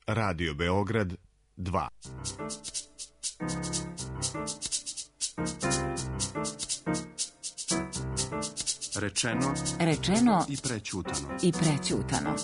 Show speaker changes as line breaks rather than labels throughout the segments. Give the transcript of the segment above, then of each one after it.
Radio Beograd 2.
Rečeno
i prećutano.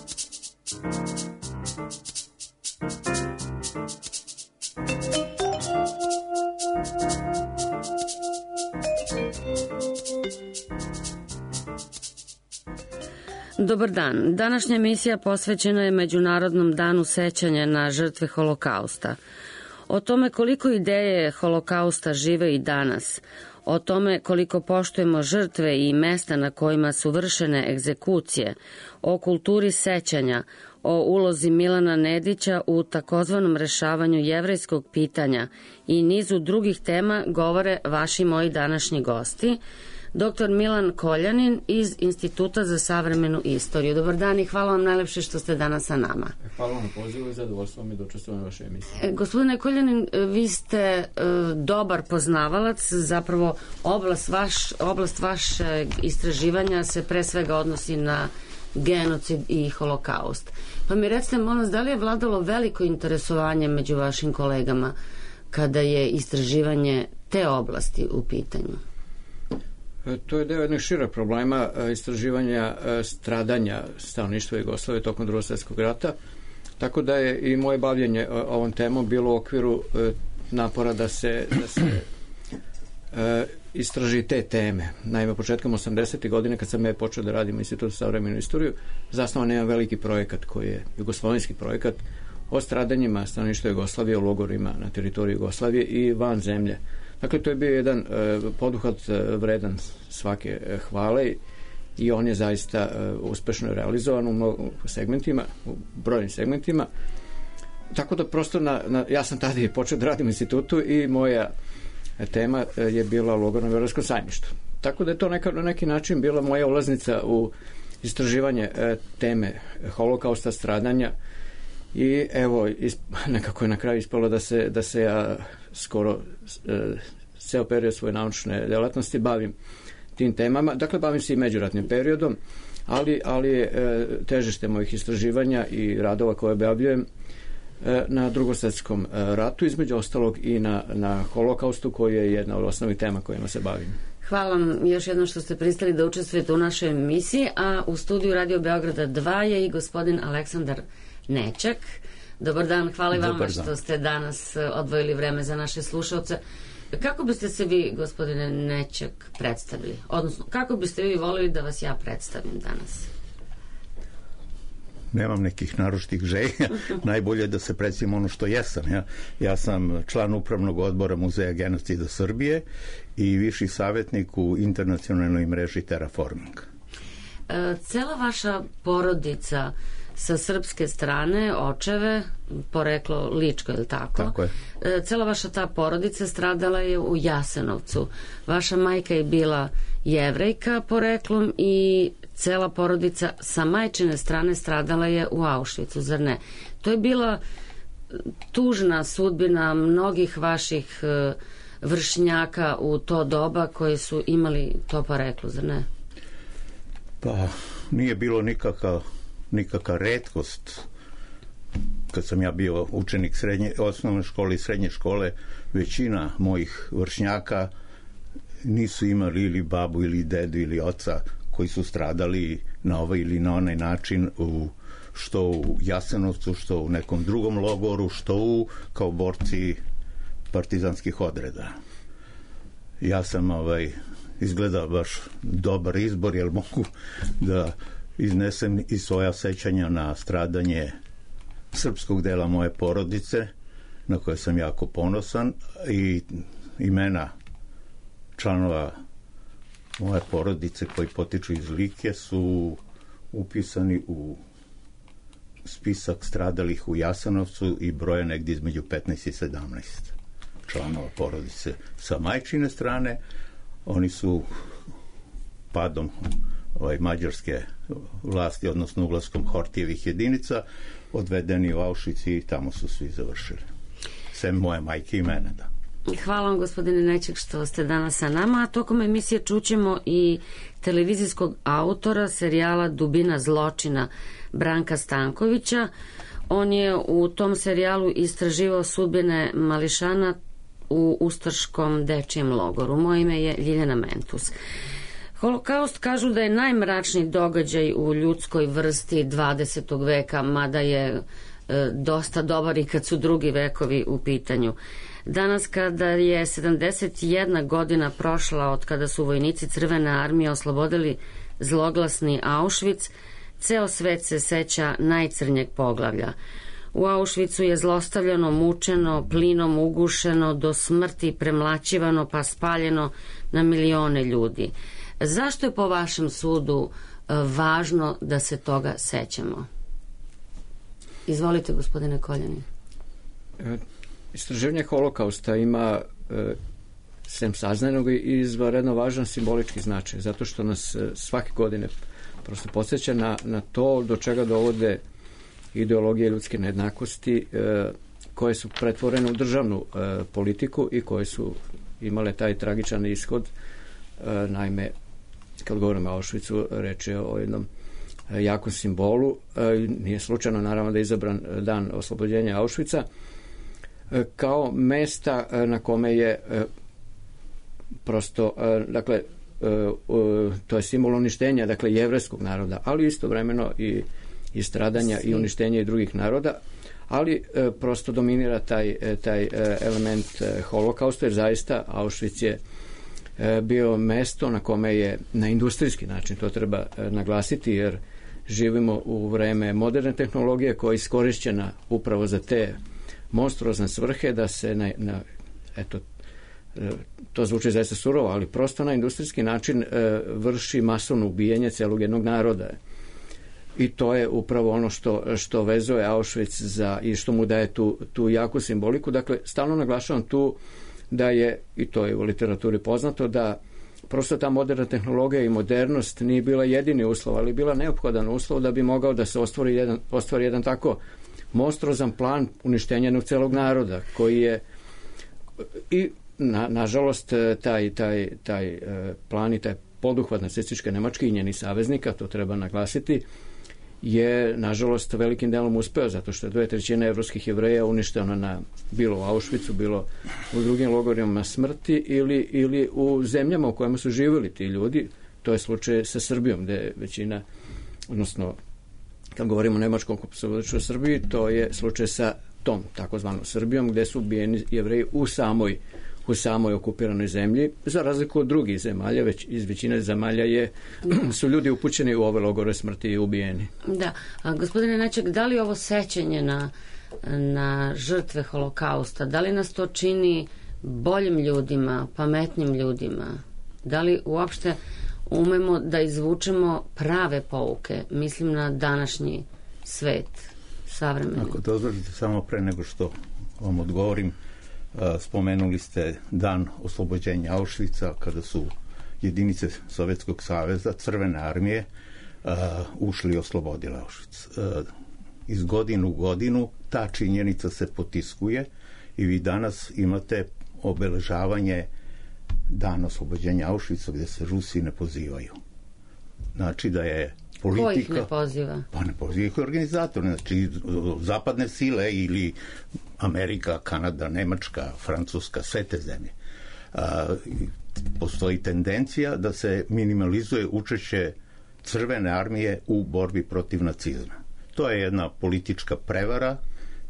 Dobar dan. Današnja emisija posvećena je Međunarodnom danu sećanja na žrtve Holokausta. O tome koliko ideje Holokausta žive i danas, o tome koliko poštujemo žrtve i mesta na kojima su vršene egzekucije, o kulturi sećanja, o ulozi Milana Nedića u takozvanom rešavanju jevrejskog pitanja i nizu drugih tema govore vaši moji današnji gosti, dr. Milan Koljanin iz Instituta za savremenu istoriju. Dobar dan i hvala vam najlepše što ste danas sa nama.
Hvala vam na pozivu i zadovoljstvo mi da učestvujem u vašoj emisiji.
Gospodine Koljanin, vi ste dobar poznavalac, zapravo oblast vašeg istraživanja se pre svega odnosi na genocid i holokaust. Pa mi recite, molim vas, da li je vladalo veliko interesovanje među vašim kolegama kada je istraživanje te oblasti u pitanju?
To je deo jednog šireg problema istraživanja stradanja stanovništva Jugoslavije tokom Drugog svjetskog rata, tako da je i moje bavljenje ovom temom bilo u okviru napora da se istraži te teme. Naime, početkom 80. godine, kad sam počeo da radim u Institutu za savremenu istoriju, zasnovan jedan veliki projekat koji je jugoslovenski projekat o stradanjima stanovništva Jugoslavije u logorima na teritoriji Jugoslavije i van zemlje. Dakle, to je bio jedan poduhvat vredan svake hvale i on je zaista uspešno realizovan u segmentima, u brojnim segmentima. Tako da prosto ja sam tada i počeo da radim u institutu i moja tema je bila logor na Beogradskom sajmištu. Tako da je to na neki način bila moja ulaznica u istraživanje teme holokausta, stradanja i evo, nekako je na kraju ispalo da se ja skoro ceo period svoje naučne delatnosti bavim tim temama. Dakle, bavim se i međuratnim periodom, ali je težište mojih istraživanja i radova koje objavljujem na Drugosvjetskom ratu, između ostalog i na holokaustu, koji je jedna od osnovnih tema kojima se bavim.
Hvala vam još jednom što ste pristali da učestvujete u našoj emisiji, a u studiju Radio Beograda 2 je i gospodin Aleksandar Nečak. Dobar dan, hvala i vama što ste danas odvojili vreme za naše slušalce. Kako biste se vi, gospodine Nečak, predstavili? Odnosno, kako biste vi volili da vas ja predstavim danas?
Nemam nekih naročitih želja. Najbolje je da se predstavim ono što jesam. Ja sam član upravnog odbora Muzeja genocida Srbije i viši savjetnik u internacionalnoj mreži Terraforming.
Cela vaša porodica sa srpske strane, očeve, poreklo Ličko, je li tako?
Tako je.
Cela vaša ta porodica stradala je u Jasenovcu. Vaša majka je bila Jevrejka poreklom i cela porodica sa majčine strane stradala je u Auschwitzu, zar ne? To je bila tužna sudbina mnogih vaših vršnjaka u to doba koji su imali to poreklo, zar ne?
Pa nije bilo nikakva retkost. Kad sam ja bio učenik osnovne škole i srednje škole, većina mojih vršnjaka nisu imali ili babu ili dedu ili oca koji su stradali na ovaj ili na onaj način što u Jasenovcu, što u nekom drugom logoru, što kao borci partizanskih odreda. Ja sam izgledao baš dobar izbor, jer mogu da iznesem i svoja sećanja na stradanje srpskog dela moje porodice, na koje sam jako ponosan, i imena članova moje porodice koji potiču iz Like su upisani u spisak stradalih u Jasenovcu i broja negdje između 15 i 17 članova porodice. Sa majčine strane oni su padom mađarske vlasti, odnosno ulaskom Hortijevih jedinica, odvedeni u Auschwitz i tamo su svi završili. Sem moje majke i mene, da.
Hvala vam, gospodine Nečak, što ste danas sa nama, a tokom emisije čućemo i televizijskog autora serijala Dubina zločina Branka Stankovića On je u tom serijalu istraživao sudbine mališana u ustaškom dečijem logoru. Moje ime je Ljiljana Mentus. Holokaust kažu da je najmračniji događaj u ljudskoj vrsti 20. veka, mada je dosta dobar i kad su drugi vekovi u pitanju. Danas kada je 71 godina prošla od kada su vojnici Crvene armije oslobodili zloglasni Auschwitz, ceo svet se seća najcrnjeg poglavlja. U Auschwitzu je zlostavljano, mučeno, plinom ugušeno, do smrti premlaćivano pa spaljeno na milione ljudi. Zašto je po vašem sudu važno da se toga sećamo? Izvolite, gospodine Koljanin.
Istraživanje holokausta ima sem saznanog i izvanredno važan simbolički značaj, zato što nas svake godine prosto podsjeća na to do čega dovode ideologije ljudske nejednakosti koje su pretvorene u državnu politiku i koje su imale taj tragičan ishod. Naime, kad govorimo o Auschwitzu, reč je o jednom jakom simbolu. Nije slučajno, naravno, da je izabran dan oslobođenja Auschwitza kao mesta na kome je prosto, dakle, to je simbol uništenja, dakle, jevrejskog naroda, ali istovremeno i stradanja i uništenja i drugih naroda, ali prosto dominira taj element holokausta, jer zaista Auschwitz je bio mesto na kome je na industrijski način, to treba naglasiti, jer živimo u vreme moderne tehnologije koja je iskorišćena upravo za te monstruozne svrhe, da se to zvuči zaista surovo, ali prosto na industrijski način vrši masovno ubijanje celog jednog naroda. I to je upravo ono što vezuje Auschwitz i što mu daje tu jaku simboliku. Dakle, stalno naglašavam tu da je, i to je u literaturi poznato, da prosto ta moderna tehnologija i modernost nije bila jedini uslov, ali bila neophodan uslov da bi mogao da se ostvari jedan tako monstruozan plan uništenja jednog celog naroda, koji je i nažalost taj plan i taj poduhvat nacističke Nemačke i njenih saveznika, to treba naglasiti, je nažalost velikim delom uspeo, zato što je 2/3 evropskih Jevreja uništeno bilo u Auschwitzu, bilo u drugim logorima smrti ili u zemljama u kojima su živjeli ti ljudi. To je slučaj sa Srbijom, gde je većina, odnosno kad govorimo o nemačkom oslobodilačkoj Srbiji, to je slučaj sa tom takozvanom Srbijom, gde su ubijeni Jevreji u samoj okupiranoj zemlji, za razliku od drugih zemalja, već iz većine zemalja su ljudi upućeni u ove logore smrti i ubijeni.
Da. Gospodine Neček, da li ovo sećanje na žrtve holokausta, da li nas to čini boljim ljudima, pametnim ljudima? Da li uopšte umemo da izvučemo prave pouke? Mislim na današnji svet, savremeni.
Ako dozvolite, samo pre nego što vam odgovorim, spomenuli ste dan oslobođenja Auschwitza, kada su jedinice Sovjetskog saveza, Crvene armije, ušli i oslobodili Auschwitz. Iz godine u godinu ta činjenica se potiskuje i vi danas imate obeležavanje dana oslobođenja Auschwitza gde se Rusi ne pozivaju. Znači da je politika...
Ko ih ne poziva?
Pa ne poziva ih organizator, znači zapadne sile ili Amerika, Kanada, Nemačka, Francuska, sve te zemlje. Postoji tendencija da se minimalizuje učešće Crvene armije u borbi protiv nacizma. To je jedna politička prevara,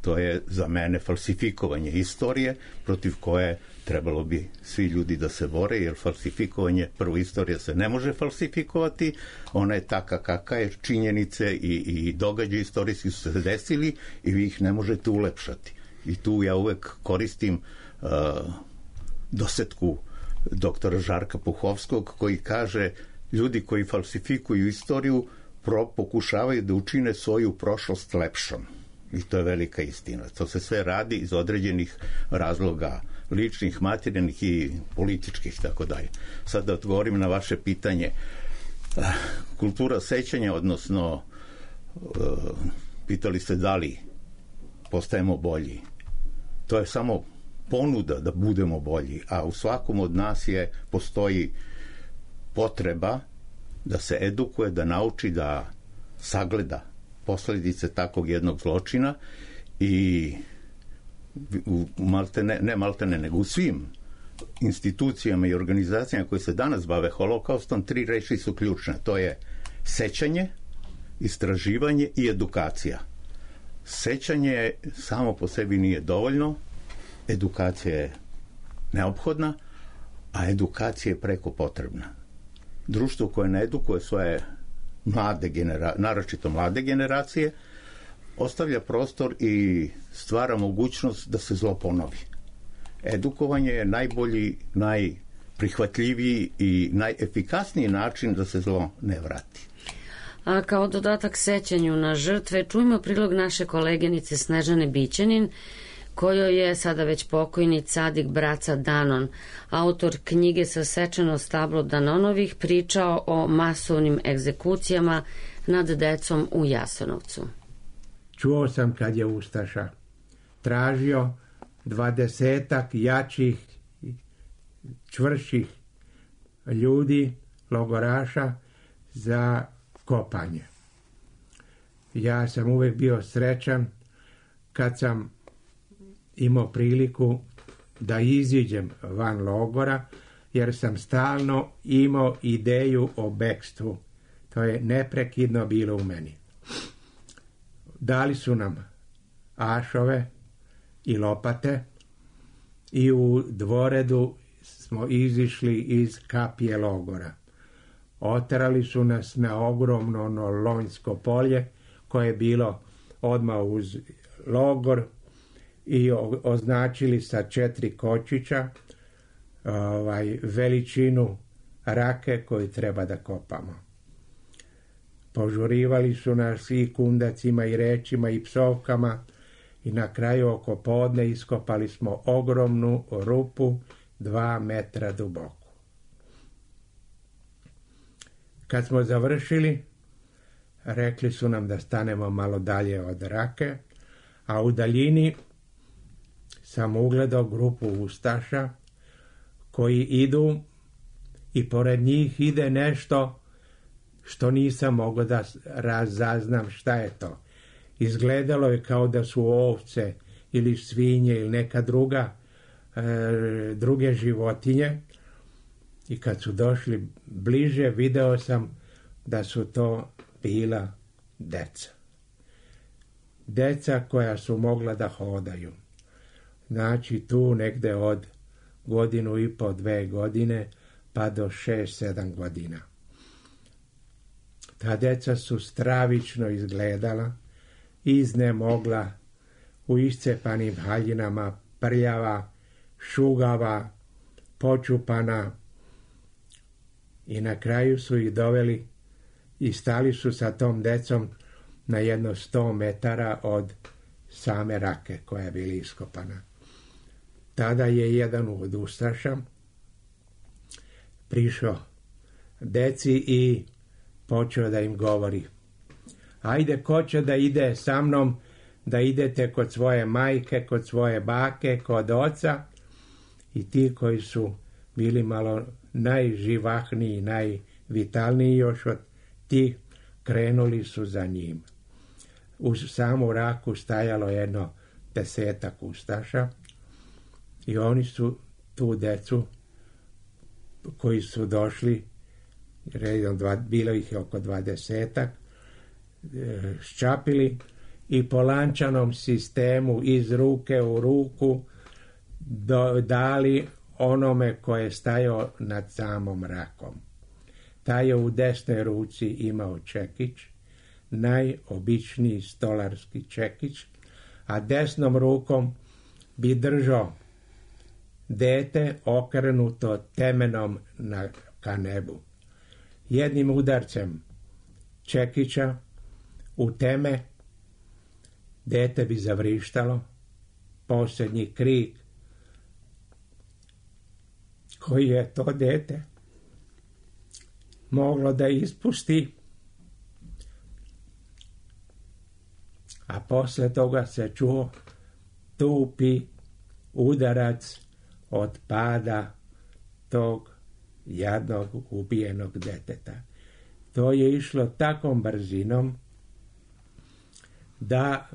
to je za mene falsifikovanje istorije protiv koje trebalo bi svi ljudi da se bore, jer falsifikovanje, prvo, istorija se ne može falsifikovati, ona je taka kakva je, činjenice i događaji istorijski su se desili i vi ih ne možete ulepšati. I tu ja uvek koristim dosetku doktora Žarka Puhovskog, koji kaže, ljudi koji falsifikuju istoriju pokušavaju da učine svoju prošlost lepšom. I to je velika istina. To se sve radi iz određenih razloga, ličnih, materijalnih i političkih, tako dalje. Sad da odgovorim na vaše pitanje. Kultura sećanja, odnosno pitali ste da li postajemo bolji. To je samo ponuda da budemo bolji, a u svakom od nas postoji potreba da se edukuje, da nauči, da sagleda posljedice takvog jednog zločina i nego u svim institucijama i organizacijama koje se danas bave holokaustom 3 reči su ključne. To je sećanje, istraživanje i edukacija. Sećanje samo po sebi nije dovoljno, edukacija je neophodna, a edukacija je preko potrebna. Društvo koje ne edukuje svoje naročito mlade generacije, ostavlja prostor i stvara mogućnost da se zlo ponovi. Edukovanje je najbolji, najprihvatljiviji i najefikasniji način da se zlo ne vrati.
A kao dodatak sećanju na žrtve, čujmo prilog naše koleginice Snežane Bićanin, kojoj je sada već pokojni Cadik Braca Danon, autor knjige Sasečeno stablo Danonovih, pričao o masovnim egzekucijama nad decom u Jasenovcu.
Čuo sam kad je ustaša tražio 20 jačih, čvrših ljudi, logoraša, za kopanje. Ja sam uvijek bio srećan kad sam imao priliku da iziđem van logora, jer sam stalno imao ideju o bekstvu. To je neprekidno bilo u meni. Dali su nam ašove i lopate i u Dvoredu smo izišli iz kapije logora. Oterali su nas na ogromno Lonjsko polje koje je bilo odmah uz logor i označili sa 4 kočića veličinu rake koju treba da kopamo. Požurivali su nas i kundacima i rečima i psovkama i na kraju oko podne iskopali smo ogromnu rupu 2 metra duboku. Kad smo završili, rekli su nam da stanemo malo dalje od rake, a u daljini sam ugledao grupu ustaša koji idu i pored njih ide nešto što nisam mogao da razaznam šta je to. Izgledalo je kao da su ovce ili svinje ili neka druge životinje, i kad su došli bliže video sam da su to bila deca. Deca koja su mogla da hodaju. Znači tu negde od 1,5, 2 godine pa do 6-7 godina. Ta deca su stravično izgledala, iznemogla, u iscepanim haljinama, prljava, šugava, počupana, i na kraju su ih doveli i stali su sa tom decom na jedno 100 metara od same rake koja je bila iskopana. Tada je jedan od ustaša prišao deci i počeo da im govori: ajde, ko će da ide sa mnom, da idete kod svoje majke, kod svoje bake, kod oca. I ti koji su bili malo najživahniji, najvitalniji još od tih, krenuli su za njim. Uz samu raku stajalo jedno 10 ustaša i oni su tu decu koji su došli, bilo ih je oko 20, ščapili i po lančanom sistemu iz ruke u ruku dali onome koje je stajao nad samom rakom. Taj je u desnoj ruci imao čekić, najobičniji stolarski čekić, a desnom rukom bi držao dete okrenuto temenom ka nebu. Jednim udarcem čekića u teme dete bi zavrištalo, posljednji krik koji je to dete moglo da ispusti, a posle toga se čuo tupi udarac od pada tog jadnog ubijenog deteta. To je išlo takom brzinom da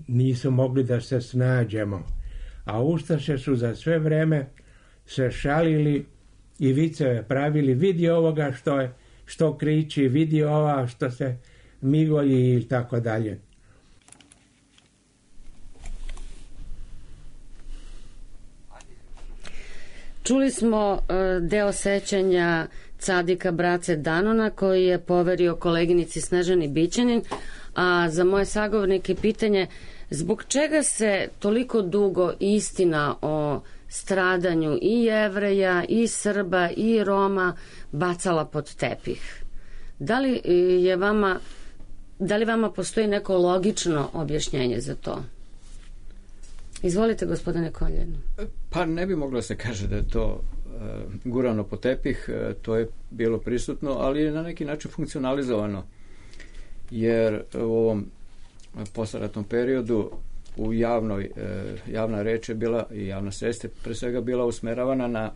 nisu mogli da se snađemo. A ustaše su za sve vreme se šalili i viceve pravili, vidi ovoga što kriči, vidi ova što se migolji i tako dalje.
Čuli smo deo sećanja Cadika Brace Danona koji je poverio koleginici Snežani Bićanin, a za moje sagovornike pitanje zbog čega se toliko dugo istina o stradanju i Jevreja, i Srba, i Roma bacala pod tepih? Da li vama postoji neko logično objašnjenje za to? Izvolite, gospodine Koljan.
Pa ne bi moglo se kaže da je to gurano po tepih, to je bilo prisutno, ali je na neki način funkcionalizovano, jer u ovom posleratnom periodu u javna reč je bila i javna svest je pre svega bila usmeravana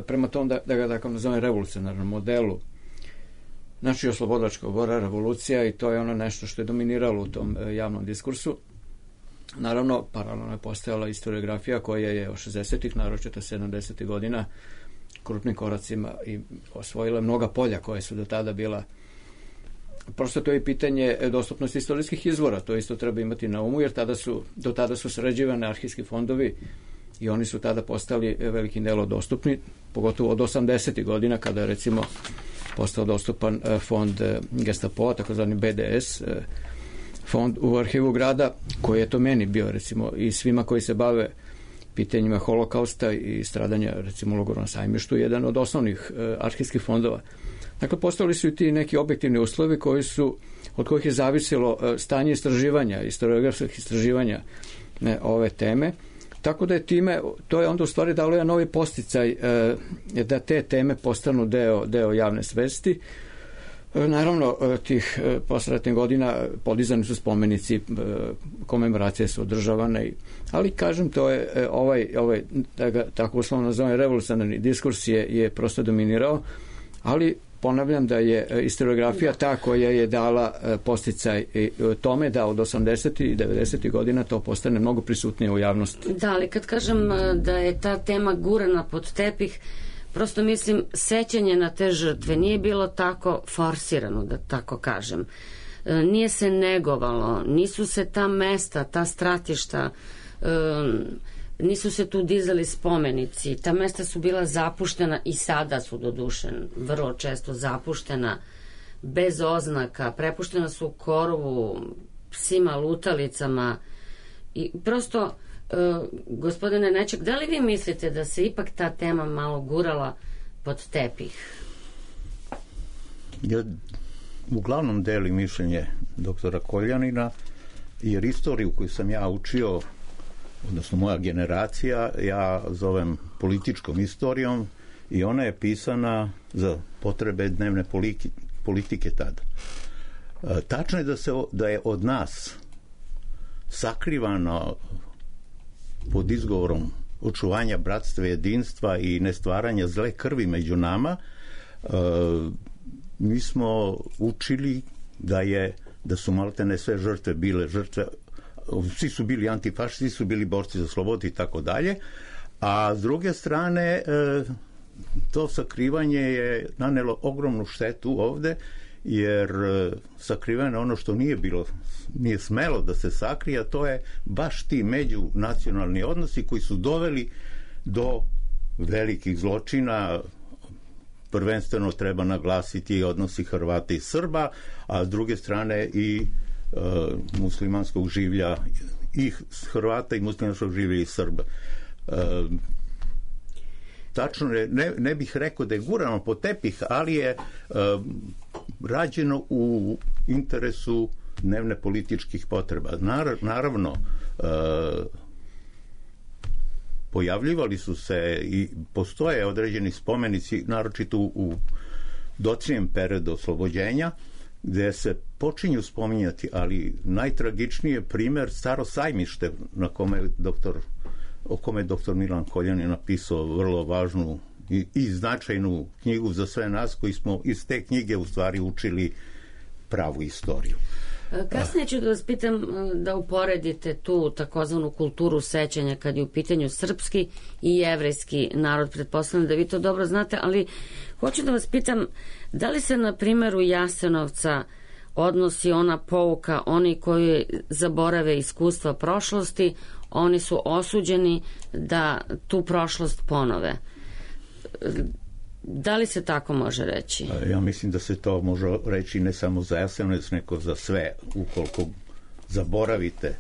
prema tom da ga tako nazovem revolucionarnom modelu. Znači oslobodilačka bora, revolucija, i to je ono nešto što je dominiralo u tom javnom diskursu. Naravno, paralelno je postojala historiografija koja je od 60-ih, naročito 70-ih godina, krupnim koracima i osvojila mnoga polja koje su do tada bila. Prosto to je pitanje dostupnosti istorijskih izvora, to isto treba imati na umu, jer do tada su sređivane arhivski fondovi i oni su tada postali velikim delom dostupni, pogotovo od 80-ih godina, kada je recimo postao dostupan fond Gestapoa, takozvani BDS, fond u arhivu grada, koji je to meni bio, recimo, i svima koji se bave pitanjima holokausta i stradanja, recimo, u logoru na Sajmištu, jedan od osnovnih arhivskih fondova. Dakle, postali su i ti neki objektivni uslovi od kojih je zavisilo stanje istraživanja, historiografskih istraživanja ove teme. Tako da je time, to je onda u stvari dalo jedan novi posticaj da te teme postanu deo javne svesti. Naravno, tih posleratnih godina podizani su spomenici, komemoracije su održavane, ali kažem, to je ovaj da ga tako uslovno nazovem, revolucionarni diskurs je prosto dominirao, ali ponavljam da je historiografija ta koja je dala posticaj tome da od 80. i 90. godina to postane mnogo prisutnije u javnosti.
Da, ali kad kažem da je ta tema gurana pod tepih, prosto mislim, sećanje na te žrtve nije bilo tako forsirano, da tako kažem. Nije se negovalo, nisu se ta mesta, ta stratišta, nisu se tu dizali spomenici, ta mesta su bila zapuštena i sada su doduše vrlo često zapuštena, bez oznaka, prepuštena su korovu, psima, lutalicama i prosto, gospodine Nečak, da li vi mislite da se ipak ta tema malo gurala pod tepih?
Ja uglavnom delim mišljenje doktora Koljanina, jer istoriju koju sam ja učio, odnosno moja generacija, ja zovem političkom istorijom, i ona je pisana za potrebe dnevne politike tada. Tačno je da je od nas sakrivano pod izgovorom očuvanja bratstva, jedinstva i nestvaranja zle krvi među nama. Mi smo učili da su maltene sve žrtve bile žrtve, svi su bili antifašisti, svi su bili borci za slobodu i tako dalje, a s druge strane to sakrivanje je nanelo ogromnu štetu ovde, jer sakriveno ono što nije smelo da se sakrije, a to je baš ti međunacionalni odnosi koji su doveli do velikih zločina. Prvenstveno treba naglasiti odnosi Hrvata i Srba, a s druge strane i muslimanskog življa i Hrvata i muslimanskog življa i Srba. Tačno je, ne bih rekao da je gurano po tepih, ali je rađeno u interesu dnevne političkih potreba. Naravno, pojavljivali su se i postoje određeni spomenici, naročito u docnijem periodu oslobođenja, gde se počinju spominjati, ali najtragičniji je primer Staro Sajmište, o kome je doktor Milan Koljanin napisao vrlo važnu i značajnu knjigu za sve nas koji smo iz te knjige u stvari učili pravu istoriju.
Kasnije ću da vas pitam da uporedite tu takozvanu kulturu sećanja kad je u pitanju srpski i jevrejski narod. Pretpostavljam da vi to dobro znate, ali hoću da vas pitam da li se na primjeru Jasenovca odnosi ona pouka, oni koji zaborave iskustva prošlosti, oni su osuđeni da tu prošlost ponove. Da li se tako može reći?
Ja mislim da se to može reći ne samo za Jasenovac, nego za sve. Ukoliko zaboravite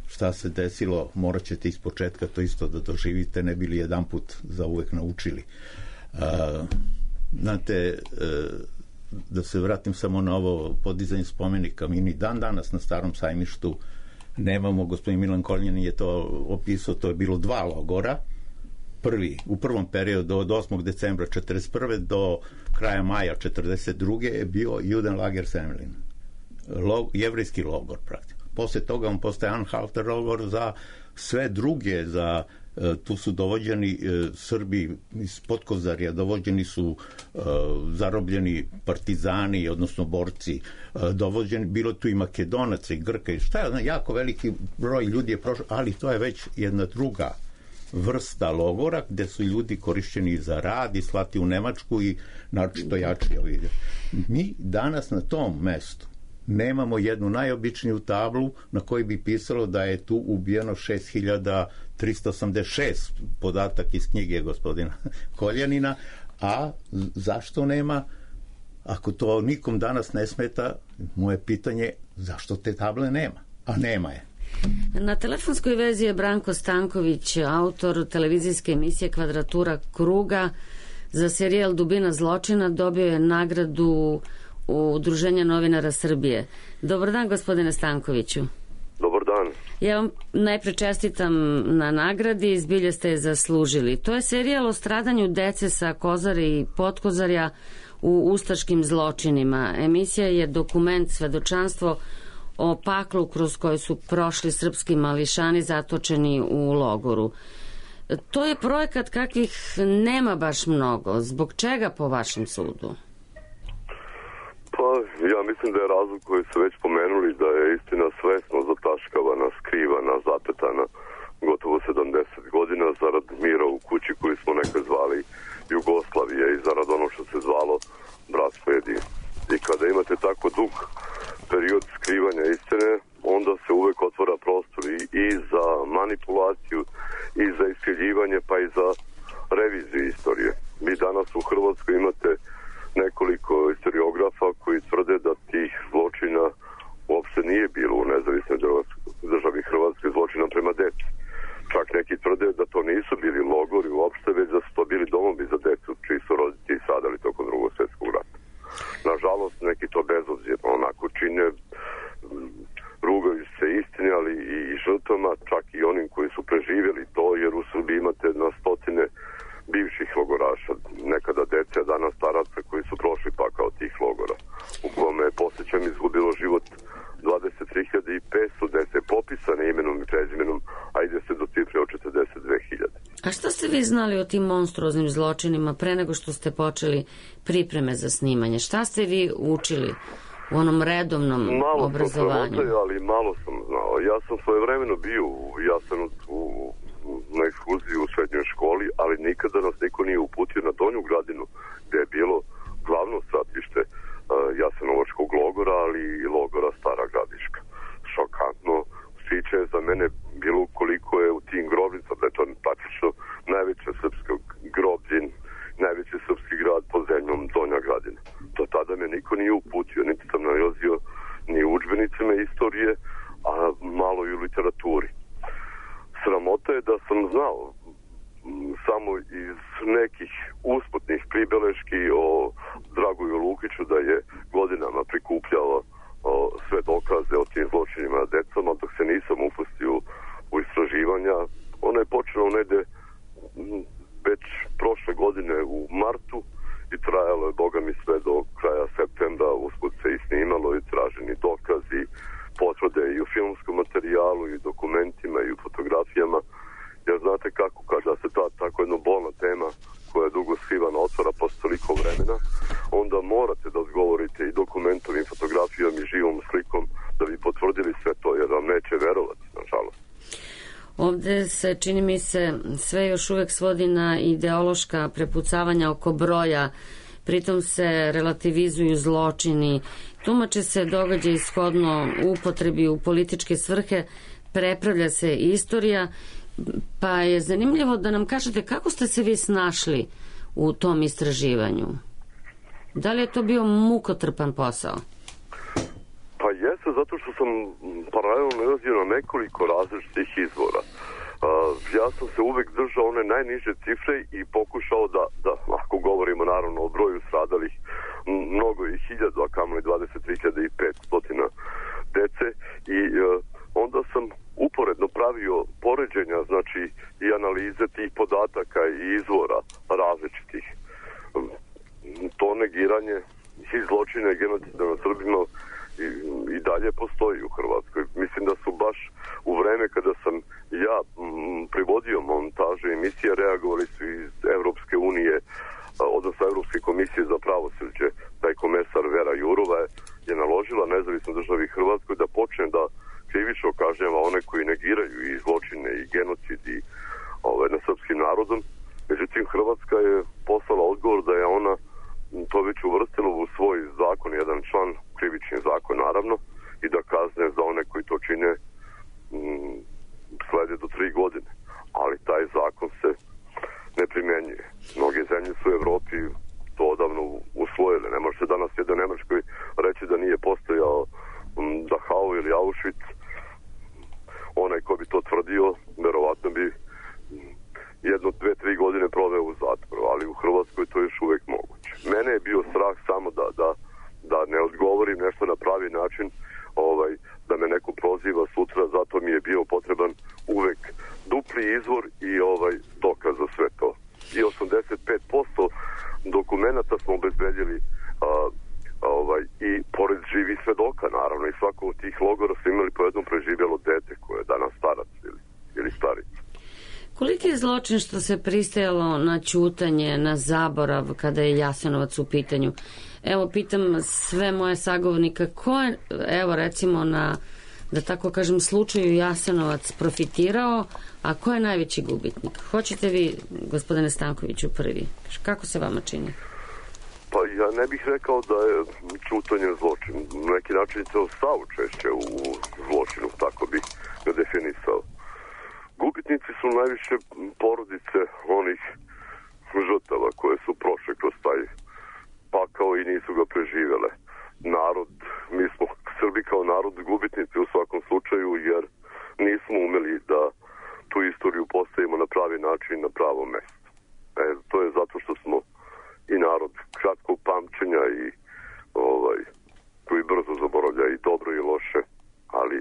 šta se desilo, morat ćete iz početka to isto da doživite, ne bili jedan put zauvek naučili. Znate, da se vratim samo na ovo podizanje spomenika. Mi ni dan danas na Starom sajmištu nemamo, gospodin Milan Koljanin je to opisao, to je bilo 2 logora. U prvom periodu od 8. decembra 1941. do kraja maja 1942. je bio Judenlager Semlin, jevrejski logor praktično. Posle toga on postaje Anhalter logor za sve druge, tu su dovođeni Srbi iz Podkozarja, dovođeni su zarobljeni partizani, odnosno borci, dovođeni, bilo tu i Makedonaca i Grka i šta je, jako veliki broj ljudi je prošao, ali to je već jedna druga vrsta logora gde su ljudi korišćeni za rad i slati u Nemačku i naročito jači. Mi danas na tom mestu nemamo jednu najobičniju tablu na kojoj bi pisalo da je tu ubijeno 6386, podatak iz knjige gospodina Koljanina, a zašto nema? Ako to nikom danas ne smeta, moje pitanje zašto te table nema? A nema je.
Na telefonskoj vezi je Branko Stanković, autor televizijske emisije Kvadratura kruga. Za serijal Dubina zločina dobio je nagradu Udruženja novinara Srbije. Dobar dan, gospodine Stankoviću.
Dobar dan.
Ja vam najpre čestitam na nagradi, zbilje ste je zaslužili. To je serijal o stradanju dece sa Kozare i Podkozarja u ustaškim zločinima. Emisija je dokument, svedočanstvo o paklu kroz koje su prošli srpski mališani zatočeni u logoru. To je projekat kakvih nema baš mnogo. Zbog čega po vašem sudu?
Pa ja mislim da je razlog koji su već pomenuli, da je istina svesno zataškavana, skrivana, zapetana gotovo 70 godina zarad mira u kući koju smo nekad zvali Jugoslavije i zarad ono što se zvalo bratstvo jedinstvo. I kada imate tako dug period skrivanja istine, onda se uvek otvara prostor i za manipulaciju, i za iskrivljivanje, pa i za reviziju istorije. Vi danas u Hrvatskoj imate nekoliko historiografa koji tvrde da tih zločina uopšte nije bilo u nezavisnoj državi Hrvatske, zločina prema deci. Čak neki tvrde da to nisu bili logori uopšte, već da su to bili domovi za decu čiji su roditelji stradali tokom Drugog svjetskog rata. Nažalost, neki to bezobzirno onako čine, rugaju se istini, ali i žrtvama, čak i onim koji su preživjeli to, jer u Srbiji imate na stotine bivših logoraša, nekada dece, a danas staraca koji su prošli pakao tih logora, u kome je posjećam izgubilo život 23.500 dece, popisane imenom i prezimenom, a ide se do cifre od 42.000.
A šta ste vi znali o tim monstruoznim zločinima pre nego što ste počeli pripreme za snimanje? Šta ste vi učili u onom redovnom obrazovanju?
Malo sam ali malo sam znao. Ja sam svojevremeno bio u Jasenovcu na ekskurziji u srednjoj školi, ali nikada nas niko nije uputio na Donju Gradinu, gde je bilo glavno stratište Jasenovačkog logora, ali i logora Stara Gradiška. Šokantno priče je za mene bilo koliko je u tim grobnicama, da je to praktično najveće srpsko groblje, najveći srpski grad pod zemljom Donja Gradina. Do tada me niko nije uputio, niti sam nalazio ni u udžbenicima istorije, a malo i u literaturi. Sramota je da sam znao samo iz nekih usputnih pribeleški o Dragoju Lukiću da je godinama prikupljao sve dokaze o tim zločinima na decom, ali dok se nisam upustio u istraživanja. Ona je počela negde već prošle godine u martu i trajalo je, boga mi, sve do kraja septembra. Usput se i snimalo i traženi dokazi, potvrde i u filmskom materijalu i dokumentima i u fotografijama. Jer znate kako, kada se ta tako jedna bolna tema koja je dugo skrivana otvara posle toliko vremena, onda morate da odgovorite i dokumentom i fotografijom i živom slikom da bi
ovde se, čini mi se, sve još uvek svodi na ideološka prepucavanja oko broja, pritom se relativizuju zločini, tumače se događaj shodno upotrebi u političke svrhe, prepravlja se istorija, pa je zanimljivo da nam kažete kako ste se vi snašli u tom istraživanju. Da li je to bio mukotrpan posao?
Pa jeste, zato što sam paralelno nalazio na nekoliko različitih izvora. Ja sam se uvek držao one najniže cifre i pokušao da ako govorimo naravno o broju stradalih, mnogo i 1000, a kamoli 23.500 dece, i onda sam uporedno pravio poređenja, znači i analize tih podataka i izvora različitih. To negiranje i zločine i genocida na Srbima i dalje postoji u Hrvatskoj. Mislim da su baš u vreme kada sam ja privodio montaže emisije reagovali su iz Evropske unije, odnosno Evropske komisije za pravosuđe. Taj komesar Vera Jourova je naložila nezavisnoj državi Hrvatskoj da počne da krivično kažnjava one koji negiraju i zločine i genocid i nad srpskim narodom. Međutim, Hrvatska je poslala odgovor da je ona to već uvrstila u svoj zakon, jedan član, krivični zakon naravno, i da kazne za one koji to čine slede do 3 godine. Ali taj zakon se ne primenjuje. Mnoge zemlje su u Evropi to odavno usvojile. Ne može se danas jednoj Nemačkoj reći da nije postojao Dachau ili Auschwitz. Onaj ko bi to tvrdio, verovatno bi 1, 2, 3 godine proveo u zatvoru, ali u Hrvatskoj to je još uvek moguće. Mene je bio strah samo da ne odgovorim nešto na pravi način, da me neko proziva sutra, zato mi je bio potreban uvek dupli izvor i dokaz za sve to. I 85% dokumenta smo obezbedili i pored živih svedoka, naravno, i svako od tih logora su imali po jednom preživjelo dete koje je danas starac ili starica.
Koliki je zločin što se pristajalo na ćutanje, na zaborav kada je Jasenovac u pitanju? Evo, pitam sve moje sagovornika, ko je, evo recimo na, da tako kažem, slučaju Jasenovac profitirao, a ko je najveći gubitnik? Hoćete vi, gospodine Stankoviću, prvi? Kako se vama čini?
Pa ja ne bih rekao da je ćutanje zločin. Na neki način je to saučešće u zločinu, tako bih ga definisao. Gubitnici su najviše porodice onih žrtava koje su prošle kroz taj pakao i nisu ga preživele. Narod, mi smo Srbi kao narod gubitnici u svakom slučaju, jer nismo umeli da tu istoriju postavimo na pravi način, na pravo mesto. To je zato što smo i narod kratkog pamćenja i koji brzo zaboravlja i dobro i loše, ali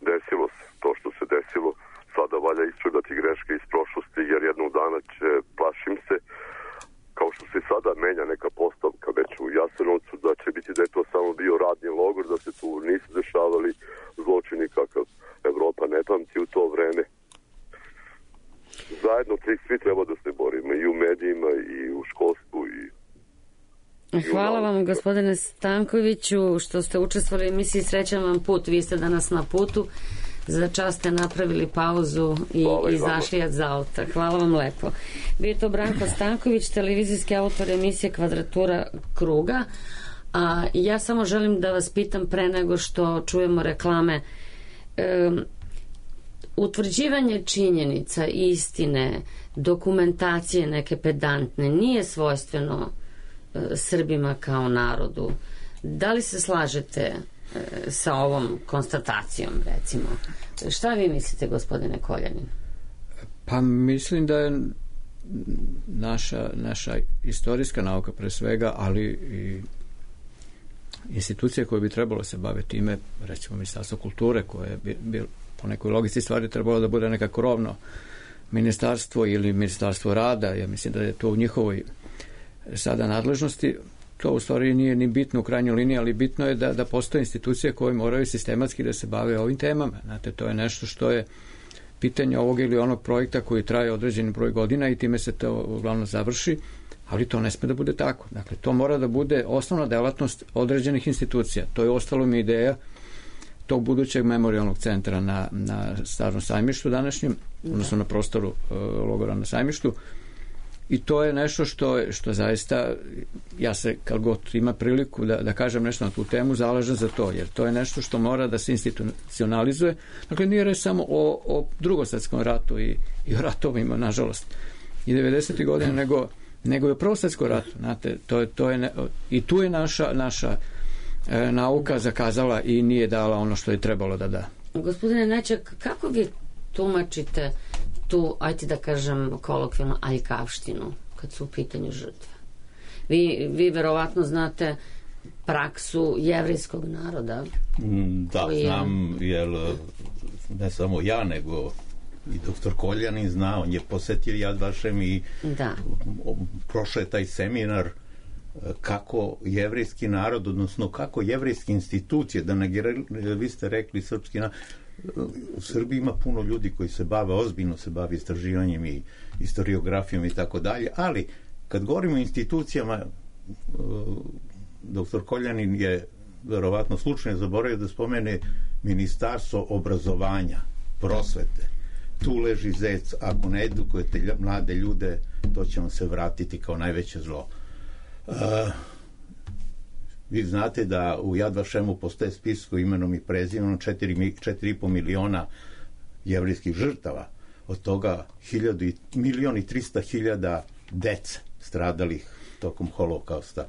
desilo se to što se desilo. Sada valja ispravljati greške iz prošlosti, jer jednog dana će, plašim se, kao što se sada menja neka postavka već u Jasenovcu, da će biti da je to samo bio radni logor, da se tu nisu dešavali zločini kakav Evropa ne pamti u to vreme. Zajedno svi treba da se borimo i u medijima i u školstvu i
hvala vam, gospodine Stankoviću, što ste učestvovali u emisiji. Srećan vam put, vi ste danas na putu. Za čas ste napravili pauzu i izašli od auta. Hvala vam lepo. Bio je to Branko Stanković, televizijski autor emisije Kvadratura kruga. A ja samo želim da vas pitam pre nego što čujemo reklame. Utvrđivanje činjenica, istine, dokumentacije neke pedantne nije svojstveno Srbima kao narodu. Da li se slažete sa ovom konstatacijom, recimo? Šta vi mislite, gospodine Koljanin?
Pa mislim da je naša istorijska nauka pre svega, ali i institucije koje bi trebalo se baviti time, recimo Ministarstvo kulture, koje bi po nekoj logici stvari trebalo da bude nekako rovno ministarstvo ili Ministarstvo rada. Ja mislim da je to u njihovoj sada nadležnosti. To u stvari nije ni bitno u krajnjoj liniji, ali bitno je da postoje institucije koje moraju sistematski da se bave ovim temama. Znate, to je nešto što je pitanje ovog ili onog projekta koji traje određeni broj godina i time se to uglavnom završi, ali to ne sme da bude tako. Dakle, to mora da bude osnovna delatnost određenih institucija. To je ostalo mi ideja tog budućeg memorijalnog centra na Starom sajmištu današnjem, odnosno na prostoru logora na sajmištu. I to je nešto što zaista, ja se kad god ima priliku da kažem nešto na tu temu, zalažem za to, jer to je nešto što mora da se institucionalizuje. Dakle, nije reč samo o Drugosvjetskom ratu i o ratovima, nažalost, i 90. godine, nego i o Prvom svjetskom ratu. Znate, i tu je naša nauka zakazala i nije dala ono što je trebalo da da.
Gospodine Nečak, kako vi tumačite tu, ajde da kažem kolokvijalno, aljkavštinu kad su u pitanju žrtve? Vi verovatno znate praksu jevrejskog naroda.
Da, znam, jer ne samo ja, nego i doktor Koljanin zna, on je posetio Yad Vashem i prošao je taj seminar kako jevrejski narod, odnosno kako jevrejske institucije, vi ste rekli srpski narod, u Srbiji ima puno ljudi koji se bave, ozbiljno se bave istraživanjem i historiografijom i tako dalje, ali kad govorimo o institucijama, doktor Koljanin je verovatno slučajno zaboravio da spomene Ministarstvo obrazovanja, prosvete. Tu leži zec, ako ne edukujete mlade ljude, to će vam se vratiti kao najveće zlo. Vi znate da u Yad Vashemu postoje spisko imenom i prezimenom 4,5 miliona jevrejskih žrtava. Od toga 1.300.000 dece stradalih tokom holokausta.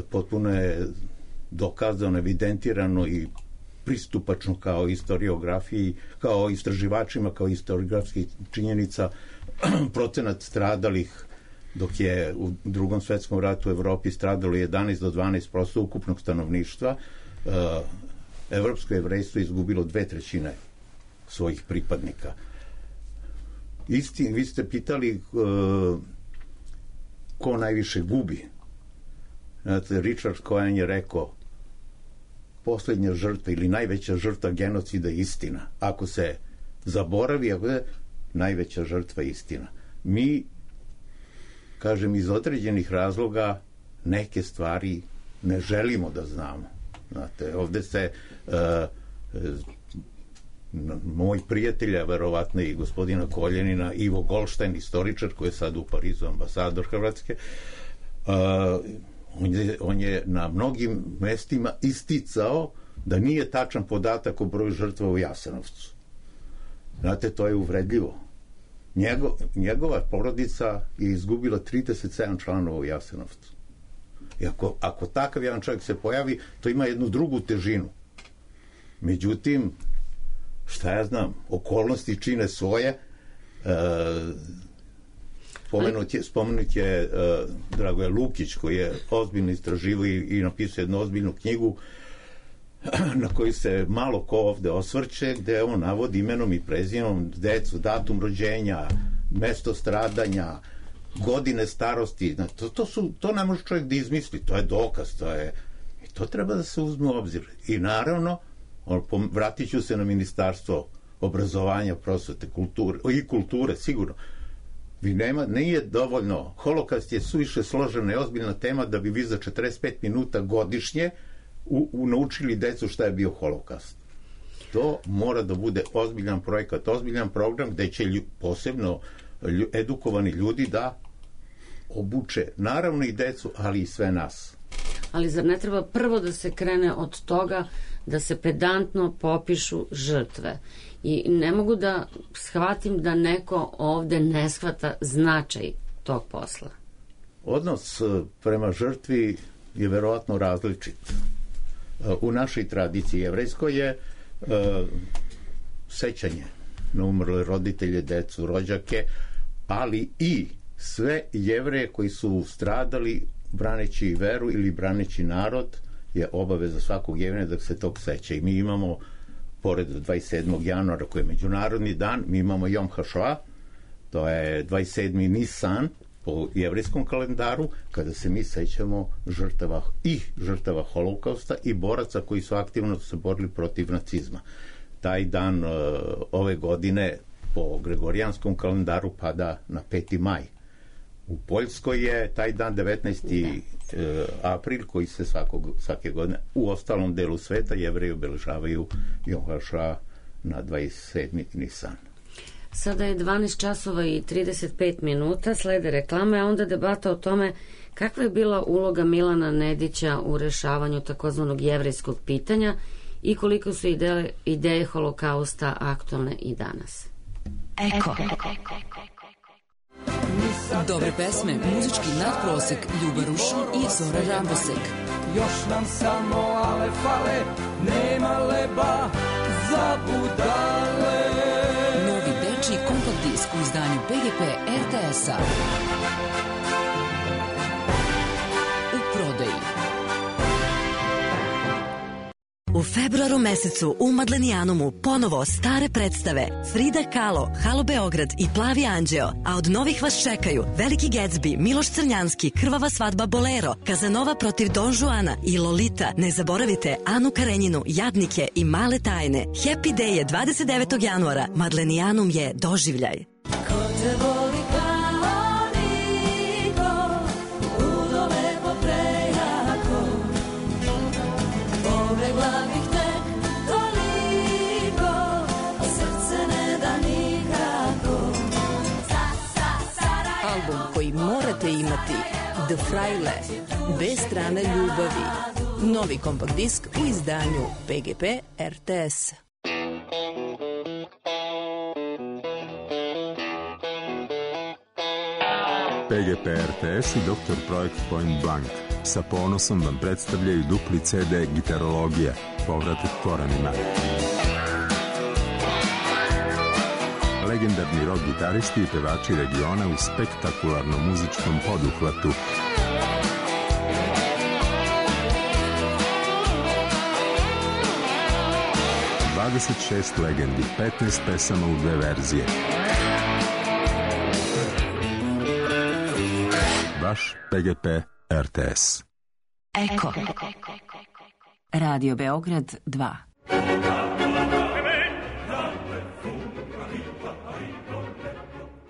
Potpuno je dokazano, evidentirano i pristupačno kao historiografiji, kao istraživačima, kao historiografskih činjenica, procenat stradalih, dok je u Drugom svjetskom ratu u Evropi stradalo 11 do 12% ukupnog stanovništva, evropsko jevrejstvo je izgubilo 2/3 svojih pripadnika. Vi ste pitali ko najviše gubi. Znate, Richard Cohen je rekao, posljednja žrtva ili najveća žrtva genocida je istina. Ako se zaboravi, najveća žrtva je istina. Mi, kažem, iz određenih razloga neke stvari ne želimo da znamo. Znate, ovde se moj prijatelja, verovatno i gospodina Koljanina, Ivo Goldstein, istoričar koji je sad u Parizu ambasador Hrvatske, on je na mnogim mestima isticao da nije tačan podatak o broju žrtva u Jasenovcu. Znate, to je uvredljivo. Njegova porodica je izgubila 37 članova u Jasenovcu. I ako takav jedan čovjek se pojavi, to ima jednu drugu težinu. Međutim, šta ja znam, okolnosti čine svoje. Spomenut je Dragoje Lukić, koji je ozbiljno istraživao i napisao jednu ozbiljnu knjigu na koju se malo ko ovde osvrće, gde on navodi imenom i prezimenom decu, datum rođenja, mesto stradanja, godine starosti. To ne može čovjek da izmisli, to je dokaz, i to treba da se uzme u obzir. I naravno, vratit ću se na Ministarstvo obrazovanja, prosvete, kulture, sigurno. Nije dovoljno, holokaust je suviše složena i ozbiljna tema da bi vi za 45 minuta godišnje naučili decu šta je bio holokaust. To mora da bude ozbiljan projekat, ozbiljan program gde će posebno edukovani ljudi da obuče naravno i decu, ali i sve nas.
Ali zar ne treba prvo da se krene od toga da se pedantno popišu žrtve? I ne mogu da shvatim da neko ovde ne shvata značaj tog posla.
Odnos prema žrtvi je verovatno različit. U našoj tradiciji jevrejskoj je sećanje na umrle roditelje, decu, rođake, ali i sve Jevreje koji su stradali braneći veru ili braneći narod, je obaveza svakog Jevreja da se tog seća. I mi imamo, pored 27. januara koji je međunarodni dan, mi imamo Jom HaShoah, to je 27. Nisan po jevrejskom kalendaru, kada se mi sećamo žrtava holokausta i boraca koji su aktivno se borili protiv nacizma. Taj dan ove godine po gregorijanskom kalendaru pada na 5. maj. U Poljskoj je taj dan 19. april koji se svake godine u ostalom delu sveta Jevreji obeležavaju Jom HaShoah na 27. Nisan.
Sada je 12 časova i 35 minuta, slede reklame, a onda debata o tome kakva je bila uloga Milana Nedića u rešavanju takozvanog jevrejskog pitanja i koliko su ideje holokausta aktualne i danas.
Eko. Dobre pesme, muzički nadprosek, Ljuba Rušin i Zora Rambosek.
Još nam samo ale fale, nema leba za budale.
Novi dečiji kompakt disk u izdanju PGP RTS-a. U prodaji.
U februaru mesecu u Madlenijanumu ponovo stare predstave Frida Kahlo, Halo Beograd i Plavi anđeo, a od novih vas čekaju Veliki Gatsby, Miloš Crnjanski, Krvava svadba Bolero, Kazanova protiv Don Juana i Lolita. Ne zaboravite Anu Karenjinu, Jadnike i Male tajne. Happy Day je 29. januara. Madlenijanum je doživljaj.
Ko te voli kao niko, ludo lepo prejako, pobegla bih tek toliko, a srce ne da nikako.
Album koji morate imati, The Fraile, bez strane ljubavi. Novi kompakt disk u izdanju PGP RTS.
PGP RTS i Dr. Projekt Point Blank sa ponosom vam predstavljaju dupli CD Gitarologija, povratak korenima. Legendarni rock gitaristi i pevači regiona u spektakularnom muzičkom poduhvatu. ...26 legendi, 15 pesama u 2 verzije. Vaš PGP RTS.
Eko. Radio Beograd 2.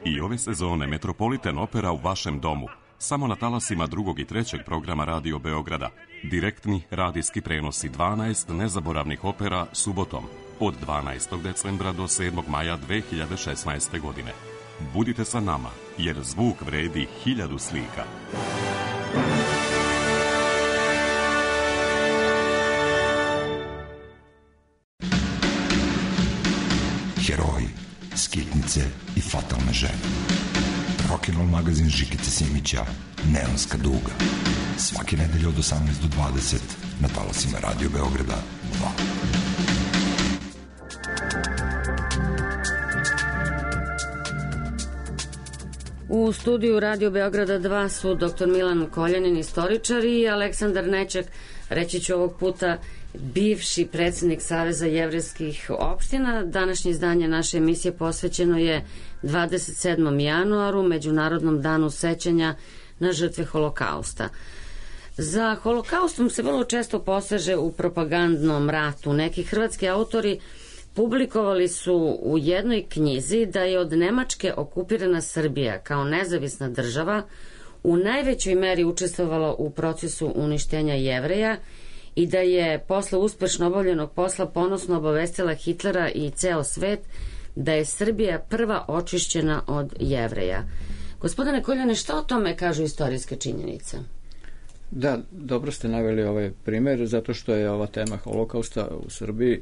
I ove sezone Metropolitan Opera u vašem domu. Samo na talasima 2. i 3. programa Radio Beograda. Direktni radijski prenosi 12 nezaboravnih opera subotom od 12. decembra do 7. maja 2016. godine. Budite sa nama, jer zvuk vredi 1000 slika.
Heroji, skitnice i fatalne žene. Rock'n'roll magazin Žikice Simića, Neonska duga. Svake nedelje od 18 do 20 na talasima Radio Beograda 2.
U studiju Radio Beograda 2 su dr. Milan Koljanin, istoričar, i Aleksandar Nečak, reći ću ovog puta bivši predsjednik Saveza jevrejskih opština. Današnje izdanje naše emisije posvećeno je 27. januaru, Međunarodnom danu sećanja na žrtve holokausta. Za holokaustom se vrlo često poseže u propagandnom ratu. Neki hrvatski autori publikovali su u jednoj knjizi da je od Nemačke okupirana Srbija kao nezavisna država u najvećoj meri učestvovala u procesu uništenja Jevreja i da je posle uspešno obavljenog posla ponosno obavestila Hitlera i ceo svet da je Srbija prva očišćena od Jevreja. Gospodine Koljane, šta o tome kažu istorijske činjenice?
Da, dobro ste naveli ovaj primer, zato što je ova tema holokausta u Srbiji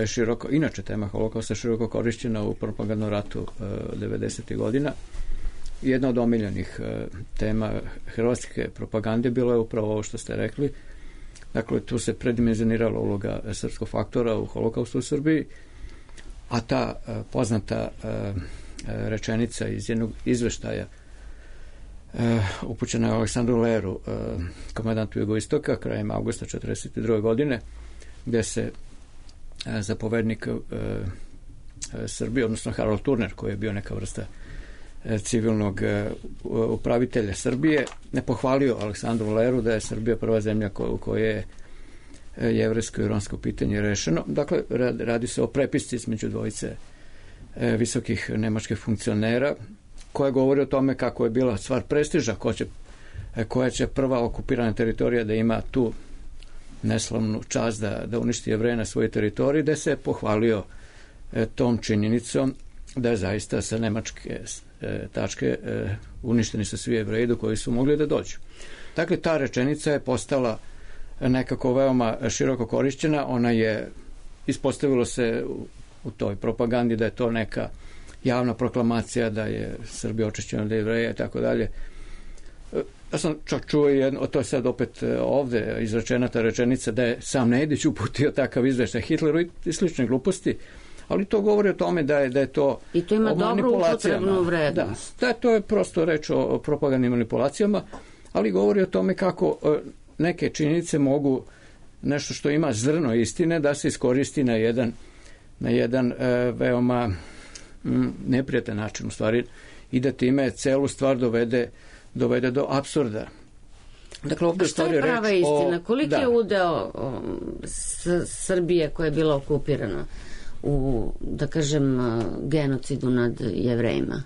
široko, inače tema holokausta široko korišćena u propagandnom ratu 90. godina. Jedna od omiljenih tema hrvatske propagande bilo je upravo ovo što ste rekli. Dakle, tu se predimenzionirala uloga srpskog faktora u holokaustu u Srbiji, a ta poznata rečenica iz jednog izveštaja upućena je Aleksandru Leru, komandantu Jugoistoka, krajem avgusta 1942. godine, gde se zapovednik Srbije, odnosno Harold Turner, koji je bio neka vrsta civilnog upravitelja Srbije, ne pohvalio Aleksandru Leru da je Srbija prva zemlja u kojoj je jevrejsko i romsko pitanje rešeno. Dakle, radi se o prepisci između dvojice visokih nemačkih funkcionera koja govori o tome kako je bila stvar prestiža, koja će prva okupirana teritorija da ima tu neslavnu čast da uništi Jevreje na svojoj teritoriji, da se pohvalio tom činjenicom da je zaista sa nemačke tačke uništeni su svi Jevreji do koji su mogli da dođu. Dakle, ta rečenica je postala nekako veoma široko korišćena, ona je, ispostavilo se u toj propagandi da je to neka javna proklamacija da je Srbija očišćena od Jevreja i tako dalje. Ja sam čak čuo jedno, to je sad opet ovde izrečena ta rečenica da je sam Nedić uputio takav izveštaj Hitleru i slične gluposti, ali to govori o tome da je to
i to ima dobru upotrebnu vrednost.
Da, to je prosto reč o propagandnim manipulacijama, ali govori o tome kako neke činjenice mogu, nešto što ima zrno istine, da se iskoristi na jedan veoma neprijatan način u stvari i da time celu stvar dovede do apsurda. Dakle, ovdje
šta je prava istina? Koliki je udeo Srbije koja je bila okupirana u, da kažem, genocidu nad Jevrejima?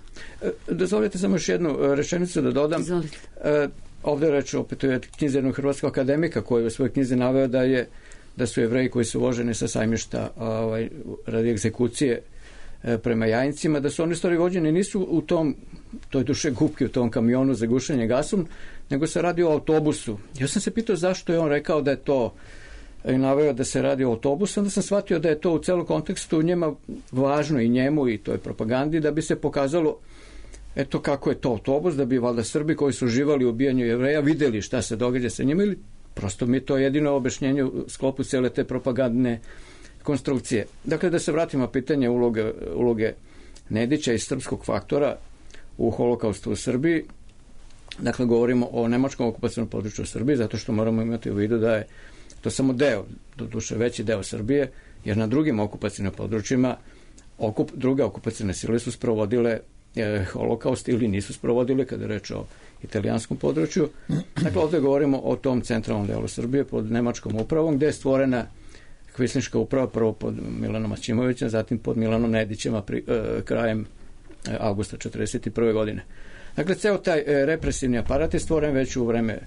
Dozvolite samo još jednu rečenicu da dodam.
Izvolite.
Ovdje je reč opet o knjizi jednog hrvatskog akademika koji u svojoj knjizi naveo da su Jevreji koji su voženi sa sajmišta radi egzekucije prema Jajincima, da su oni stvari vođeni nisu u toj dušegupki, u tom kamionu za gušenje gasom, nego se radi o autobusu. Ja sam se pitao zašto je on rekao da je to i naveo da se radi o autobusu, onda sam shvatio da je to u celom kontekstu njema važno i njemu i toj propagandi da bi se pokazalo eto kako je to autobus, da bi valjda Srbi koji su uživali u ubijanju Jevreja videli šta se događa sa njima ili prosto mi je to jedino objašnjenje u sklopu cele te propagandne konstrukcije. Dakle, da se vratimo pitanje uloge Nedića i srpskog faktora u holokaustu u Srbiji. Dakle, govorimo o nemačkom okupacionom području u Srbiji, zato što moramo imati u vidu da je to samo deo, doduše veći deo Srbije, jer na drugim okupacionim područjima druge okupacione sile su sprovodile holokaust ili nisu sprovodile kada je reč o italijanskom području. Dakle, ovdje govorimo o tom centralnom delu Srbije pod nemačkom upravom, gdje je stvorena kvislinška uprava prvo pod Milanom Aćimovićem, zatim pod Milanom Nedićem krajem avgusta 1941. godine. Dakle, ceo taj represivni aparat je stvoren već u vreme,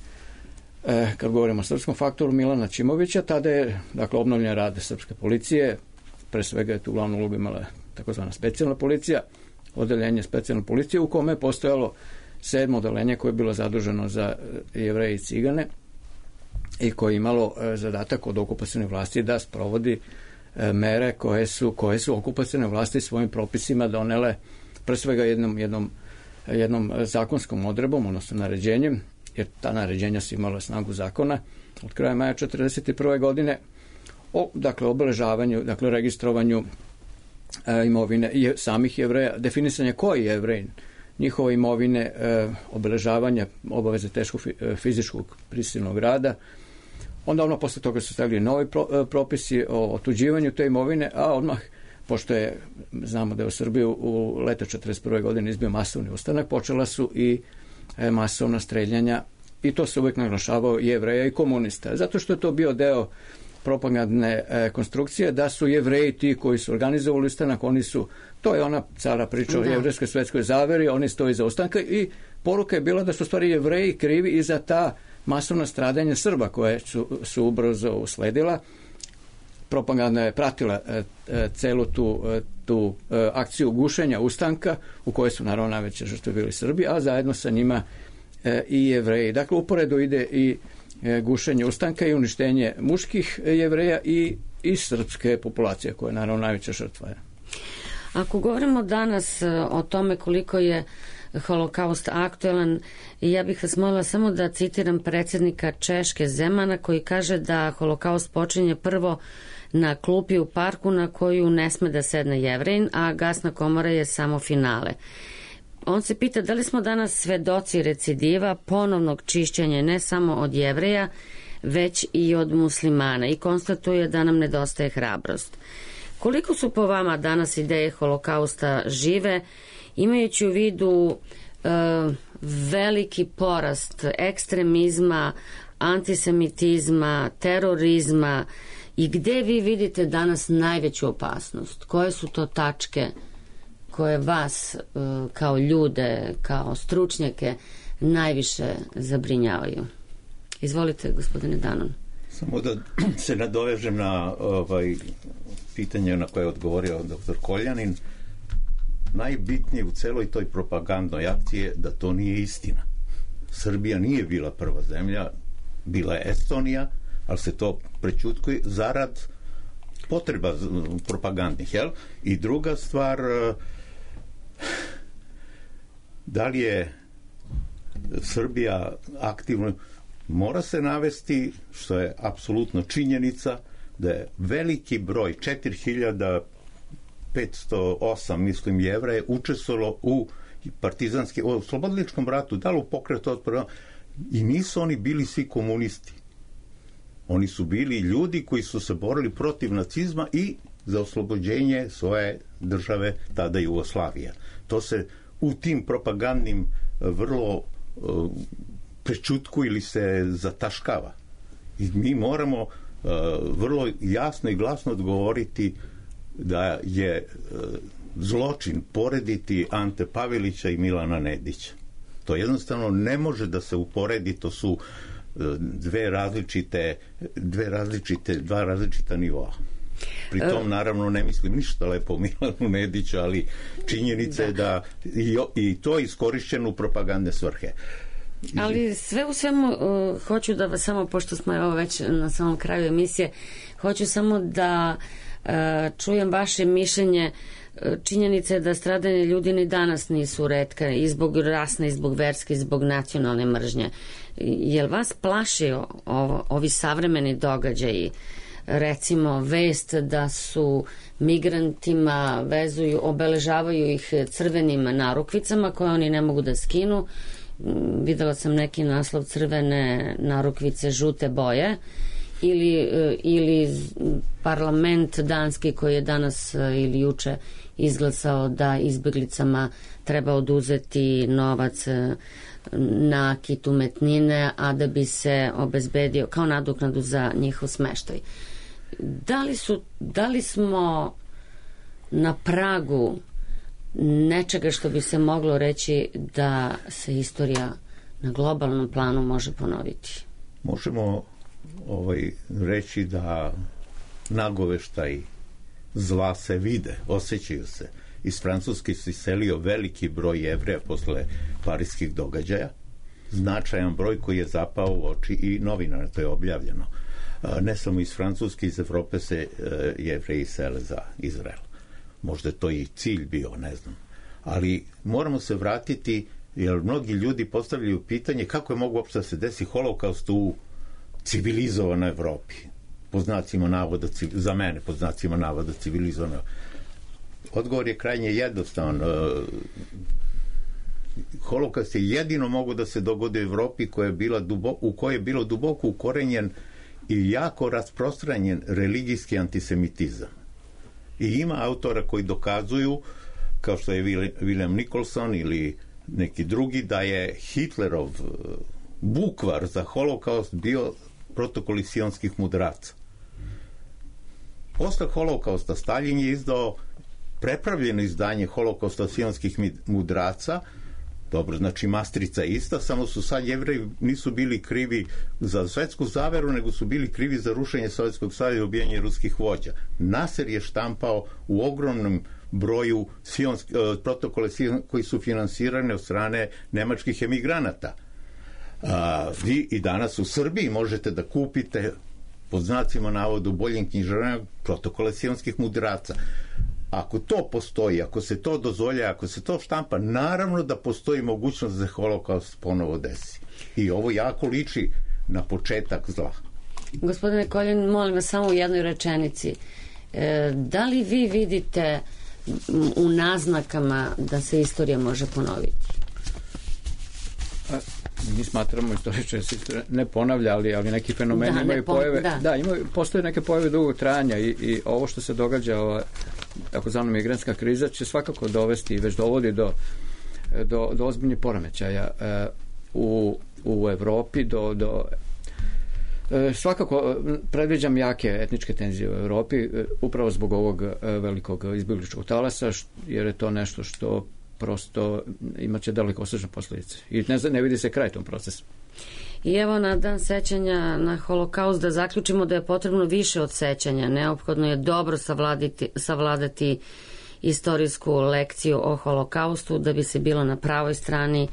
kad govorimo o srpskom faktoru, Milana Aćimovića, tada je obnovljen rad srpske policije, pre svega je tu glavnu ulogu imala takozvana specijalna policija, odeljenje specijalne policije u kome je postojalo 7. odeljenje koje je bilo zaduženo za Jevreje i Cigane i koje je imalo zadatak od okupacione vlasti da sprovodi mere koje su okupacione vlasti svojim propisima donele pre svega jednom zakonskom odredbom, odnosno naređenjem, jer ta naređenja su imala snagu zakona od kraja maja 1941. godine o obeležavanju, registrovanju imovine samih Jevreja, definisanje koji je Jevrej, njihove imovine, obeležavanja, obaveze teškog fizičkog prisilnog rada. Onda posle toga su stavili novi propisi o otuđivanju te imovine, a odmah, pošto znamo da je u Srbiji u leto 1941. godine izbio masovni ustanak, počela su i masovna streljanja i to se uvijek naglašavao Jevreja i komunista, zato što je to bio deo propagandne konstrukcije, da su Jevreji ti koji su organizovali ustanak, to je ona cara priča o jevrejskoj svetskoj zaveri, oni stoji za ustanka i poruka je bila da su stvari Jevreji krivi i za ta masovna stradanja Srba koje su ubrzo usledila. Propaganda je pratila celu tu akciju gušenja ustanka u kojoj su naravno najveće žrtve bili Srbi, a zajedno sa njima i Jevreji. Dakle, uporedo ide i gušenje ustanka i uništenje muških Jevreja i srpske populacije koja je naravno najveća žrtva.
Ako govorimo danas o tome koliko je holokaust aktualan, ja bih vas molila samo da citiram predsjednika Češke Zemana koji kaže da holokaust počinje prvo na klupi u parku na koju ne sme da sedne Jevrejin, a gasna komora je samo finale. On se pita da li smo danas svedoci recidiva, ponovnog čišćenja ne samo od Jevreja, već i od muslimana i konstatuje da nam nedostaje hrabrost. Koliko su po vama danas ideje holokausta žive, imajući u vidu veliki porast ekstremizma, antisemitizma, terorizma i gde vi vidite danas najveću opasnost? Koje su to tačke koje vas kao ljude, kao stručnjake najviše zabrinjavaju? Izvolite, gospodine Danon.
Samo da se nadovežem na pitanje na koje je odgovorio dr. Koljanin. Najbitnije u celoj toj propagandnoj akciji je da to nije istina. Srbija nije bila prva zemlja, bila je Estonija, ali se to prećutkuje zarad potreba propagandnih, jel? I druga stvar, da li je Srbija aktivno, mora se navesti, što je apsolutno činjenica, da je veliki broj, 4508, mislim, Jevreja učestvovalo u partizanskim, u oslobodiličkom ratu, da li u pokretu otpora, i nisu oni bili svi komunisti. Oni su bili ljudi koji su se borili protiv nacizma i za oslobođenje svoje države, tada Jugoslavija. To se u tim propagandnim vrlo prečutku ili se zataškava. I mi moramo vrlo jasno i glasno odgovoriti da je zločin porediti Ante Pavelića i Milana Nedića. To jednostavno ne može da se uporedi, to su dva različita nivoa. Pri tom naravno ne mislim ništa lepo o Milanu Nediću, ali činjenica je da i to je iskorišćeno u propagandne svrhe.
Ali sve u svemu hoću da vas samo, pošto smo evo već na samom kraju emisije, hoću samo da čujem vaše mišljenje. Činjenica je da stradanje ljudi ni danas nisu retka i zbog rasne, i zbog verske, i zbog nacionalne mržnje. Jel vas plašio ovi savremeni događaji, recimo vest da su migrantima obeležavaju ih crvenim narukvicama koje oni ne mogu da skinu? Videla sam neki naslov crvene narukvice žute boje, ili parlament danski koji je danas ili juče izglasao da izbeglicama treba oduzeti novac, nakit, umetnine, a da bi se obezbedio kao nadoknadu za njihov smeštaj. Da li smo na pragu nečega što bi se moglo reći da se istorija na globalnom planu može ponoviti?
Možemo reći da nagoveštaj zla se vide, osjećaju se. Iz Francuske se iselio veliki broj Jevreja posle parijskih događaja, značajan broj koji je zapao u oči i novinara, to je objavljeno. Ne samo iz Francuske, iz Evrope se Jevreji sele za Izrael. Možda je to i cilj bio, ne znam. Ali moramo se vratiti, jer mnogi ljudi postavljaju pitanje kako je mogu uopšte da se desi holokaust u civilizovanoj Evropi. Po znacima navoda, za mene, po znacima navoda civilizovano. Odgovor je krajnje jednostavan. Holokaust je jedino mogu da se dogodi u Evropi u kojoj je bilo duboko ukorenjen i jako rasprostranjen religijski antisemitizam. I ima autora koji dokazuju, kao što je William Nicholson ili neki drugi, da je Hitlerov bukvar za holokaust bio protokoli sionskih mudraca. Posle holokausta Stalin je izdao prepravljeno izdanje holokausta sionskih mudraca. Dobro, znači mastrica je ista, samo su sad Jevreji nisu bili krivi za svetsku zaveru, nego su bili krivi za rušenje Sovjetskog saveza i ubijanje ruskih vođa. Nasser je štampao u ogromnom broju protokole koji su finansirane od strane nemačkih emigranata. Vi i danas u Srbiji možete da kupite pod znacima navoda u boljim knjižarama protokole sionskih mudraca. Ako to postoji, ako se to dozvolja, ako se to štampa, naravno da postoji mogućnost da se holokaust ponovo desi. I ovo jako liči na početak zla.
Gospodine Koljan, molim vas samo u jednoj rečenici. Da li vi vidite u naznakama da se istorija može ponoviti?
Mi smatramo istoričari se ne ponavlja, ali neki fenomeni imaju pojave. Postoje neke pojave dugog trajanja i ovo što se događa, takozvana migrantska kriza, će svakako dovesti i već dovodi do ozbiljnih poremećaja u Evropi, Svakako predviđam jake etničke tenzije u Evropi, upravo zbog ovog velikog izbjegličkog talasa, jer je to nešto što prosto imaće dalekosežne posljedice. I ne vidi se kraj tom procesu.
I evo na dan sećanja na holokaust da zaključimo da je potrebno više od sećanja. Neophodno je dobro savladati istorijsku lekciju o holokaustu da bi se bilo na pravoj strani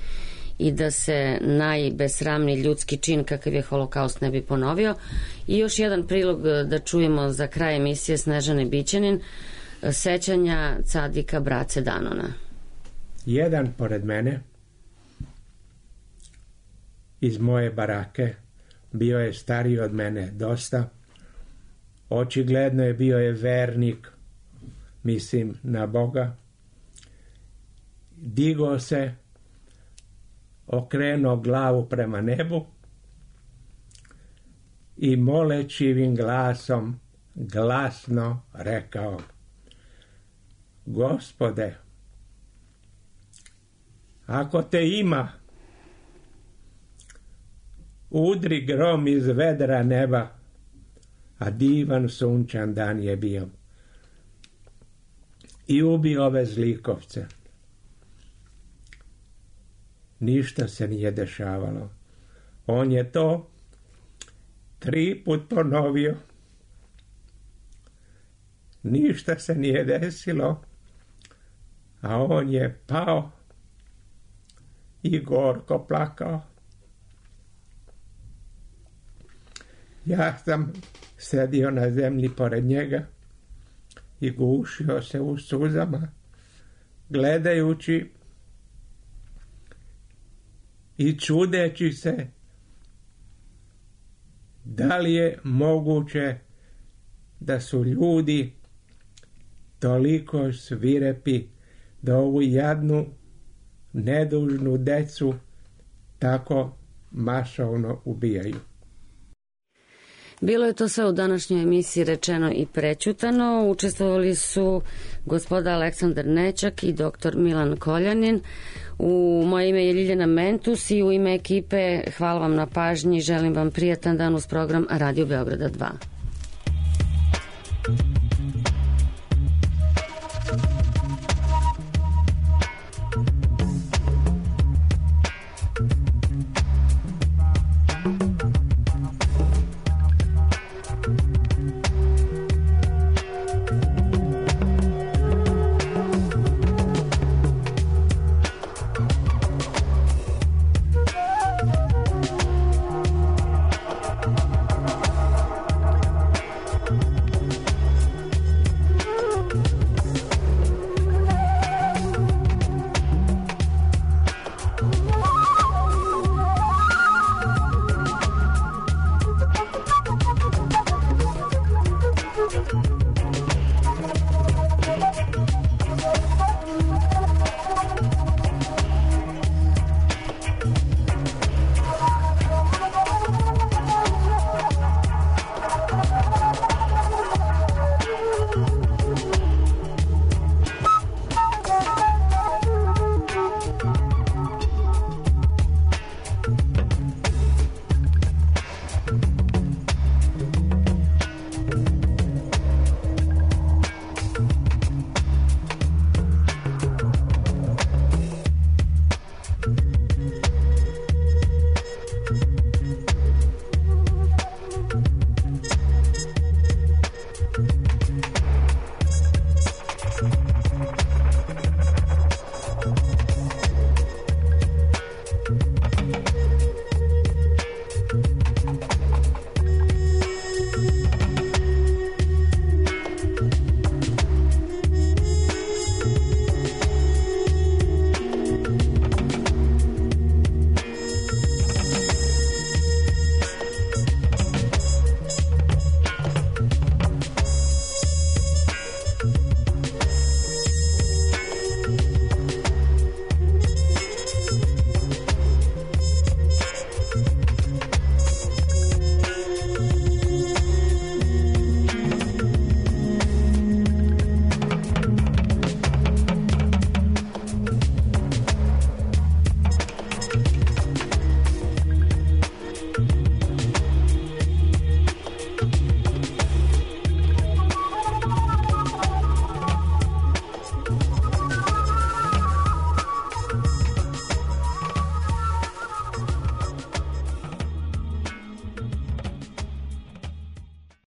i da se najbesramniji ljudski čin kakav je holokaust ne bi ponovio. I još jedan prilog da čujemo za kraj emisije Snežane Bićanin, sećanja Cadika Brace Danona.
Jedan pored mene iz moje barake bio je stariji od mene dosta. Očigledno je bio je vernik, mislim na Boga. Digao se, okrenuo glavu prema nebu i molečivim glasom glasno rekao: Gospode, ako te ima, udri grom iz vedra neba, a divan sunčan dan je bio, i ubi ove zlikovce. Ništa se nije dešavalo. On je to 3 put ponovio. Ništa se nije desilo, a on je pao i gorko plakao. Ja sam sedio na zemlji pored njega i gušio se u suzama, gledajući i čudeći se da li je moguće da su ljudi toliko svirepi da ovu jadnu, nedužnu decu tako masovno ubijaju.
Bilo je to sve u današnjoj emisiji rečeno i prećutano. Učestvovali su gospoda Aleksandar Nećak i dr. Milan Koljanin. U moje ime je Ljiljana Mentus i u ime ekipe hvala vam na pažnji. Želim vam prijatan dan uz program Radio Beograda 2.